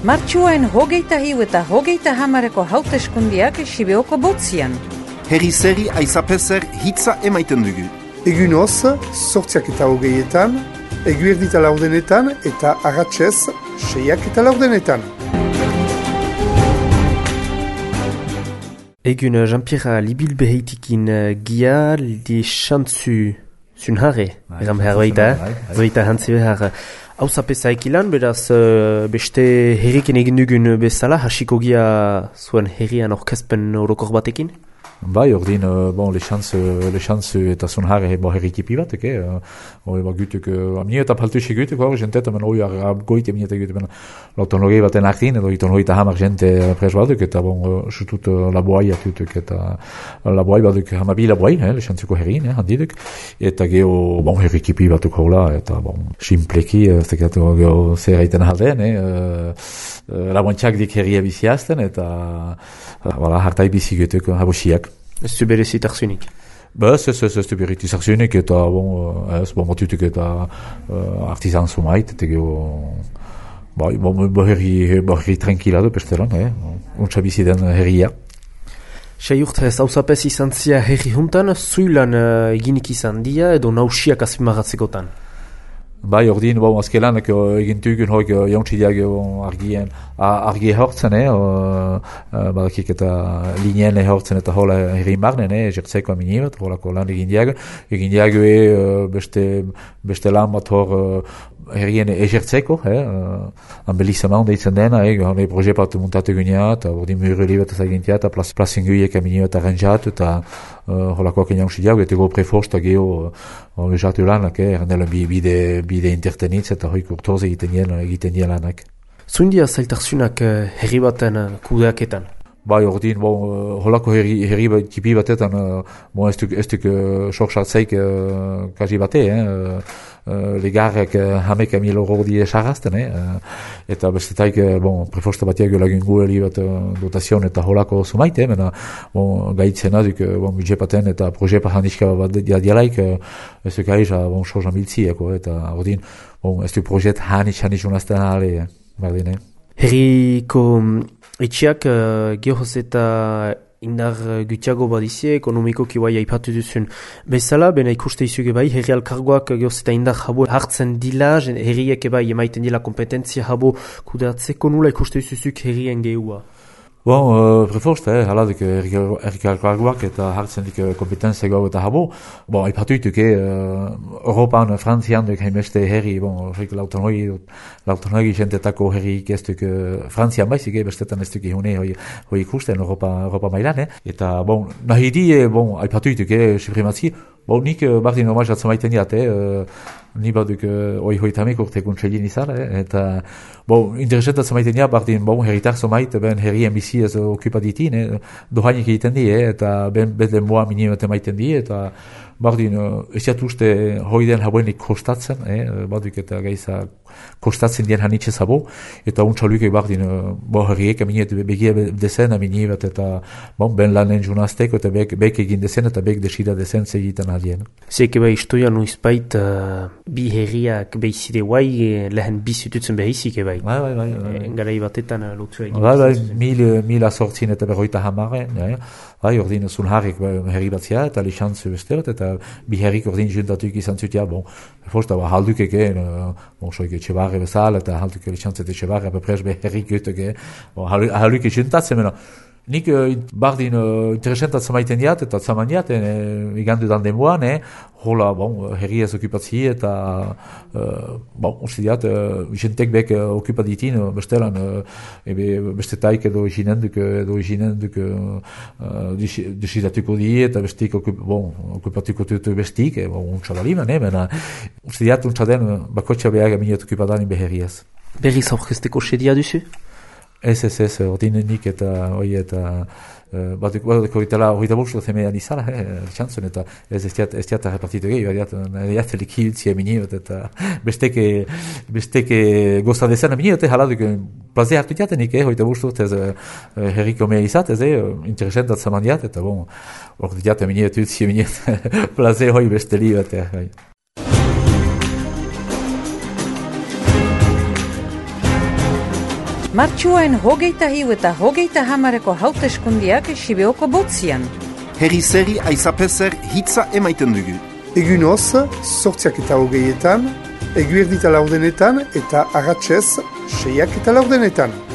Martxuain hogeita hiu eta hogeita hamareko hauteskundiak Sibeoko botzian. Herri zeri aizapezer hitza emaiten dugu. Egunoz, 8:08, eguerdita laurdenetan eta arratsez 6:08. Egun Jean-Pierre Libil beheitikin gia li xantzu zunhare, eram herbaita hantzi behar. Hau zapezak ilan, beraz beste herriken egin dugun bezala, hasiko gia zuen herrian orkezpen orokor batekin? Bai, ordin, le chance eta zunhare herrikipi batek, gutuk, amnie eta paltuxe gutuk, jentet, amen oi goite amnie eta gutuk, l'autonologi baten aktin, edo itonogita hamar jente pres baduk, eta sutut laboai atutuk, eta laboai baduk hamabi laboai, le chantzeko herrin, handiduk, eta geho, herrikipi batuk hola, eta simpleki, zekatu geho zeraiten halden, laboantxak dik herria biziazten, eta hartai bizi gutuk, habosiak. Ez zu berezit arzunik? Ez du berezit arzunik, eta batutuk eta artizan zumait, eta geho, herri tranquila du pesteran, untsa bizi den herria. Sei urte ez hauzapez izan zia herri juntan, zuilan eginik izan dia edo nausiak azpimarratzekotan? Bai, ordin, azkelanak egintugun hoik jauntzideak argi hortzen, badakik eta lineen hortzen eta hola herrin barnen, jertzeko aminibat, holako lan egin diago beste lan bat hor herrien ejertzeko, ambelizama honda itzen dena, honda proje bat muntatu gunea, eta ordin mureli bat ezagintia, eta plazinguiek aminibat arranjatu, eta holakoak jauntzideak, eta go preforsta geho lejatu lanak, erandela bide intertenitz eta hoik urtoz egiten dien lanak. Zundia zailtarzunak herri baten kudeaketan? Bai, ordin, holako herri tipi batetan, ez duk sorxatzeik kaji bate, legarrek hamek €1.000 die sarrazten, eta bestetaik, prefosta batiak lagun gueli bat dotazion eta holako sumaite, mena, gaitzen aduk, budgepaten eta projepa handiska bat dialaik, ez duk aiza, sorxan biltzieko, eta ordin, ez duk projet handiz unazten ale, bardine. Herriko etxiak gehoz eta indar gutiago badizie, ekonomikoki bai aipatu duzun bezala, bena ikuste izuge bai, herri alkargoak gehoz eta indar jabo hartzen dila, herriek bai emaiten dila kompetentzia jabo kudeatzeko nula ikuste izuzuk herrien gehua? Preforsta, haladik herri alkargoak eta hartzen dik kompetenzia gau eta jabo. Aipatu dituk, Europan, Frantzian duk hainbeste herri, l'autonogi jentetako herri ikestuk Frantzian baizik, bestetan ez duk ihune hoi ikusten Europa mailan, eta nahi di, aipatu dituk, suprimatzi, nik bardin omaizatzen maiten diat, ni baduk hoitamek urte kuntselin izan, eta interesentatzen maiten diat, bardin herritar zomait, ben herrien bizi ez okupaditin, dohainik egiten di, eta ben bedlen moa minimate maiten di, eta bardin ez jatuste hoiden habuenik kostatzen, baduk eta gaiza kostatzen dien hanitxe zabo, eta untxaluke bardin herriek aminet begia dezen aminibat, eta ben lanen junazteko, eta bek egin dezen, eta bek desida dezen zegiten adien. Zeke bai istoia nuizbait bi herriak behizide guai lehen bizitutzen behizik bai. Bai. Garai batetan lotzua egin. Bai, 1050 bai, ordin zunharek herri batzia, eta lixantzu besterat, eta bi herrik ordin juntatuk izan zutia, fosta haldukek, soik etxebarre bezala, eta halduk lixantzu etxebarre, apapres be herrik göteke, halduk juntatzen, nik bardin interesentatzen maiten diat, eta zaman diat, igandu dan demoan, hola, herri ez okupatzi, eta uste diat, jentek bek okupaditin, bestelan, bestetaik edo izinenduk desidatuko di, eta bestik okupatuko tutu bestik, untxabaliman, uste diat, untxaden, bakotxa behar aminet okupadanin beherriaz. Berriz aurkezteko sedia duzu? Ez, ordinenik eta hoi eta bateko hoita bostu zemean izala, txantzun, eta ez diata repartitu gehi, ez likiltzia miniot, eta besteke gozta dezen miniot, haladuk plaze hartu diatenik, hoita bostu, ez herriko mea izat, ez interesentat zaman diat, eta hor diata miniot, utzia miniot, plaze hoi besteli bat, Martxuain 21 eta 30 hauteskundiak Sibeoko botzian. Herri zeri aizapezer hitza emaiten dugu. Egunoz, 8:20, eguerdita 4 eta arratsez 6:40.